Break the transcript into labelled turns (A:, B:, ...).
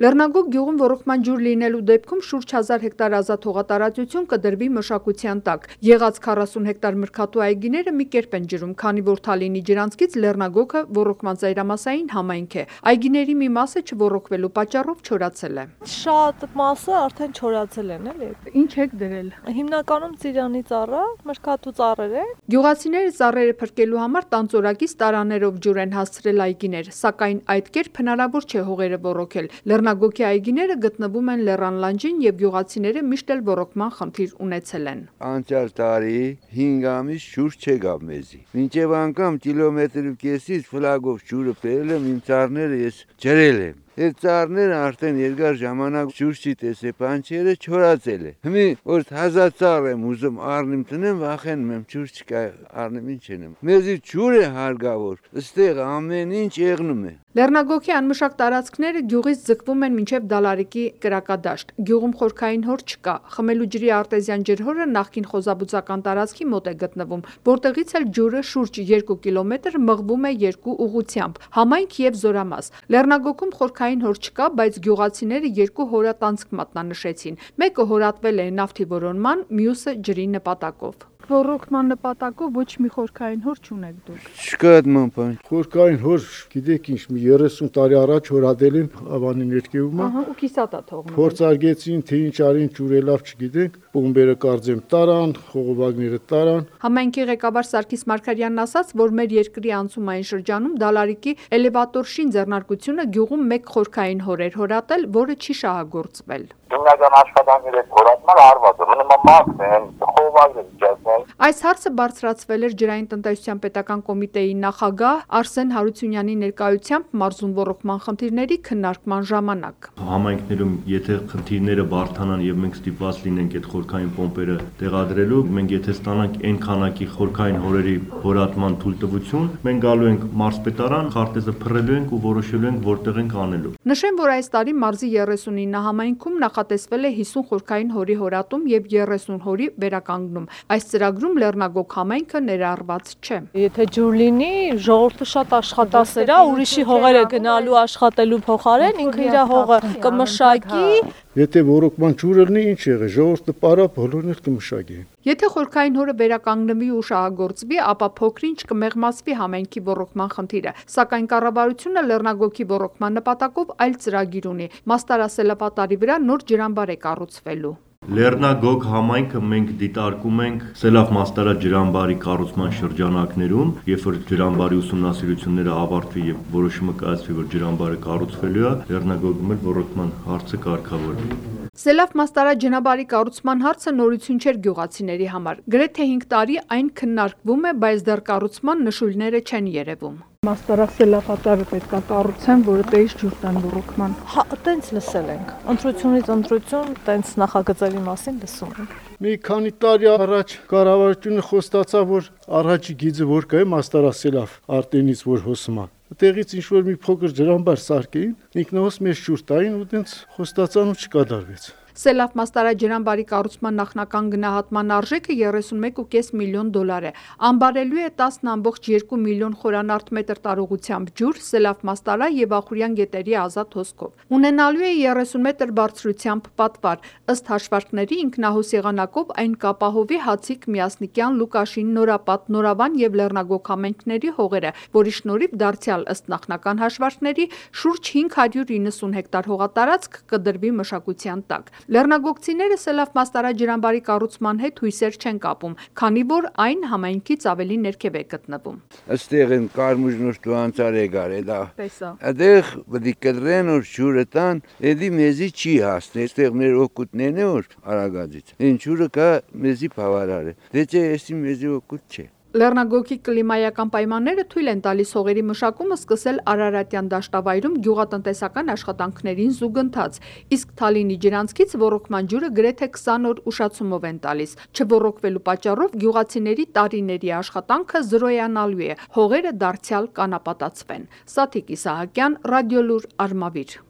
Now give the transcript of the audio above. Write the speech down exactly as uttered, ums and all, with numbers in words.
A: Լեռնագոգ գյուղում ոռոգման ջուր լինելու դեպքում շուրջ հազար հեկտար ազատ հողատարածություն կդրվի մշակության տակ։ Եղած քառասուն հեկտար մրգատու այգիները մի կերպ են ջրում, քանի որ Թալինի ջրանցքից Լեռնագոգը ոռոգման ծայրամասային համայնք է։ Այգիների մի մասը չոռոգվելու պատճառով չորացել է։
B: Շատ մասը արդեն չորացել են, էլի։
A: Ինչ եք դրել։
B: Հիմնականում ծիրանի ծառա, մրգատու ծառեր է։
A: Գյուղացիները ծառերը փրկելու համար տանձորակից տարաներով ջուր են հասցրել այգիներ, սակայն այդ կերպ հնարավոր չէ հողերը ոռոգել։ Լեռնագոգի այգիները գտնվում են լեռան լանջին եւ գյուղացիները միշտ էլ ոռոգման խնդիր ունեցել են։
C: Անցյալ տարի հինգ ամիս ջուր չեկավ մեզի։ Մինչեւ անգամ կիլոմետր ու կեսից ֆլագով ջուրը բերել եմ, իմ ծառները ես ջրել եմ։ Այդ ծառները արդեն երկար ժամանակ ջուր չի տեսել, բանջերը չորացել է։ Հիմա որ հազար ծառ եմ ուզում առնեմ տնեմ, վախենում եմ ջուր չկա, առնեմ ինչ եմ։ Մեզի ջուր է հարգավոր, այստեղ ամեն ինչ եղնում է։
A: Լեռնագոգի անմշակ տարածքները գյուղից ձգվում են մինչև Դալարիկի կրակադաշտ։ Գյուղում խորքային հոր չկա։ Խմելու ջրի արտեզյան ջրհորը նախկին խոզաբուծական տարածքի մոտ է գտնվում, որտեղից էլ ջուրը շուրջ երկու կիլոմետր մղվում է երկու ուղղությամբ՝ համայնք եւ Զորամաս։ Լեռնագոգում խորքային հոր չկա, բայց գյուղացիները երկու հորատանցք մատնանշեցին։ Մեկը հորատվել է նավթի որոնման, մյուսը ջրի նպատակով։ Ոռոգման նպատակով ոչ մի խորքային հոր չունեք դուք։
C: Չկա այդ ման։
D: Խորքային հոր, գիտեք ինչ, մի երեսուն տարի առաջ հորատել են ավանի ներքևում։
A: Ահա, ու կիսատ է թողնում։
D: Փորձարկեցին, թե ինչ արին, ջուրը լավ չգիտենք, բոմբերը կարծեմ տարան, խողովակները տարան։
A: Համայնքի ղեկավար Սարգիս Մարգարյանն ասաց, որ մեր երկրի անցումային շրջանում Դալարիկի էլևատոր շին ձեռնարկությունը գյուղում մեկ խորքային հոր էր հորատել, որը չի շահագործվել։
E: Հիմնական աշխատանքները հորատման արված է, մնում մաքն են, խողովակներ իջացնել։
A: Այս հարցը բարձրացվել էր ջրային տնտեսության պետական կոմիտեի նախագահ Արսեն Հարությունյանի ներկայությամբ մարզում ոռոգման խնդիրների քննարկման ժամանակ։
F: Համայնքներում եթե խնդիրները բարդանան եւ մենք ստիպված լինենք այդ խորքային պոմպերը տեղադրելու, մենք եթե ստանանք այն քանակի խորքային հորերի հորատման թույլտվություն, մենք գալու ենք մարզպետարան, քարտեզը փռելու ենք ու որոշելու ենք որտեղ ենք անելու։
A: Նշեմ, որ այս տարի մարզի երեսունինը համայնքում նախատեսվել է հիսուն խորքային հորի հորատում եւ երեսուն հորի վերականգնում։ Այս ծրագրում Լեռնագոգ համայնքը ներառված չէ։
B: Եթե ջուր լինի, ժողովուրդը շատ աշխատասեր է, ուրիշի հողերը գնալու աշխատելու փոխարեն ինքը իր հողը կմշակի։
D: Եթե ոռոգման ջուրը լինի, ինչ եղե, ժողովուրդը պարա բոլորն էլ կմշակեն։
A: Եթե խորքային հորը վերականգնվի ու շահագործվի, ապա փոքրինչ կմեղմացվի համայնքի ոռոգման խնդիրը, սակայն կառավարությունը Լեռնագոգի ոռոգման նպատակով այլ ծրագիր ունի։ Մաստարասելապատարի վրա նոր ջրամբար է կառուցվելու։
F: Լեռնագոգ համայնքը մենք դիտարկում ենք Սելավ Մաստարա ջրամբարի կառուցման շրջանակներում, երբ որ ջրամբարի ուսումնասիրությունները ավարտվի եւ որոշումը կայացվի, որ ջրամբարը կառուցվելու է, Լեռնագոգում էլ ոռոգման հարցը կարգավորվի։
A: Սելավ Մաստարա ջրամբարի կառուցման հարցը նորություն չէր գյուղացիների համար։ Գրեթե հինգ տարի այն քննարկվում է, բայց դեռ կառուցման նշույլները չեն երևում։
G: Մաստարասելապատարը պետք է կառուցեն, որը տեից ջուր տան ոռոգման։
B: Հա, տենց լսել ենք։ Ընտրությունից ընտրություն, տենց նախագծերի մասին լսում ենք։
D: Մի քանի տարի առաջ կառավարությունը խոստացավ, որ առաջի գիծը որ կա Մաստարասելավ արտենից որ հոսման։ Տեղից ինչ որ մի փոքր ջրամբար սարքեին, ինքնահոս մեծ ջուր տային ու տենց խոստացան ու չկատարվեց։
A: Սելավ Մաստարա ջրամբարի կառուցման նախնական գնահատման արժեքը երեսունմեկ ու կես միլիոն դոլար է։ Անբարելու է տասն ամբողջ երկու միլիոն խորանարդ մետր տարողությամբ ջուր Սելավ Մաստարա եւ Ախուրյան գետերի ազատ հոսքով։ Ունենալու է երեսուն մետր բարձրությամբ պատվար։ Ըստ հաշվարկների ինքնահոս եղանակով այն կապահովի Հացիկ, Միասնիկյան, Լուկաշին, Նորապատ, Նորավան եւ Լեռնագոգ համայնքների հողերը, որի շնորհիվ դարձյալ ըստ նախնական հաշվարկների շուրջ հինգ հարյուր իննսուն հեկտար հողատարածք կդրվի մշակության տակ։ Լեռնագոգցիները Սելավ Մաստարա ջրամբարի կառուցման հետ հույսեր չեն կապում, քանի որ այն համայնքից ավելի ներքև է գտնվում։
C: Այստեղ են կարմուժնոր տուանցար եկար, դա։
A: Տեսա։
C: Այդեղ պետք է կտրեն որ ջուրը տան, էդի մեզի չի հասնի, այստեղ մեր օգուտներն է որ Արագածից։ Այն ջուրը կա մեզի բավարար է։ Դե չէ, էսի մեզի օգուտ չէ։
A: Լեռնագոգի կլիմայական պայմանները թույլ են տալիս հողերի մշակումը սկսել Արարատյան դաշտավայրում գյուղատնտեսական աշխատանքներին զուգընթաց, իսկ Թալինի ջրանցքից ոռոգման ջուրը գրեթե քսան օր ուշացումով են տալիս։ Չոռոգվելու պատճառով գյուղացիների տարիների աշխատանքը զրոյանալու է, հողերը դարձյալ կանապատացվեն։ Սաթիկ Իսահակյան, Ռադիոլուր, Արմավիր։